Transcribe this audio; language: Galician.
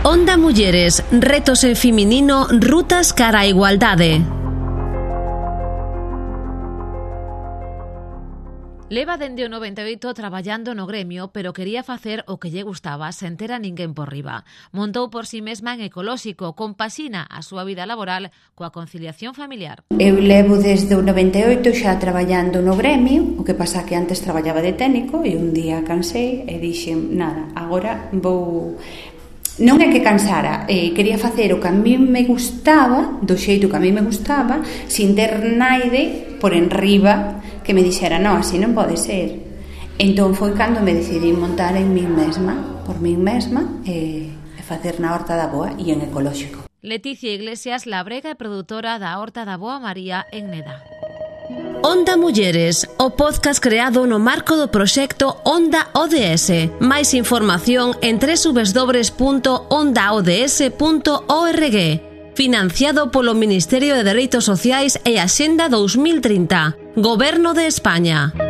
Onda Mulleres, retos en feminino, rutas cara a igualdade. Leva dende o 98 traballando no gremio, pero quería facer o que lle gustaba sen ter a ninguén por riba. Montou por si mesma en Ecolóxico, compaxina a súa vida laboral coa conciliación familiar. Eu levo desde o 98 xa traballando no gremio, o que pasa que antes traballaba de técnico e un día cansei e dixen, nada, agora vou... Non é que cansara, quería facer o que a mí me gustaba, do xeito que a mí me gustaba, sin ter naide por enriba que me dixera, non, así non pode ser. Entón foi cando me decidí montar en min mesma, por min mesma, e facer na Horta da Boa e en Ecolóxico. Leticia Iglesias, labrega e produtora da Horta da Boa María en Neda. Onda Mulleres, o podcast creado no marco do proxecto Onda ODS. Máis información en www.ondaods.org. Financiado polo Ministerio de Dereitos Sociais e Axenda 2030. Goberno de España.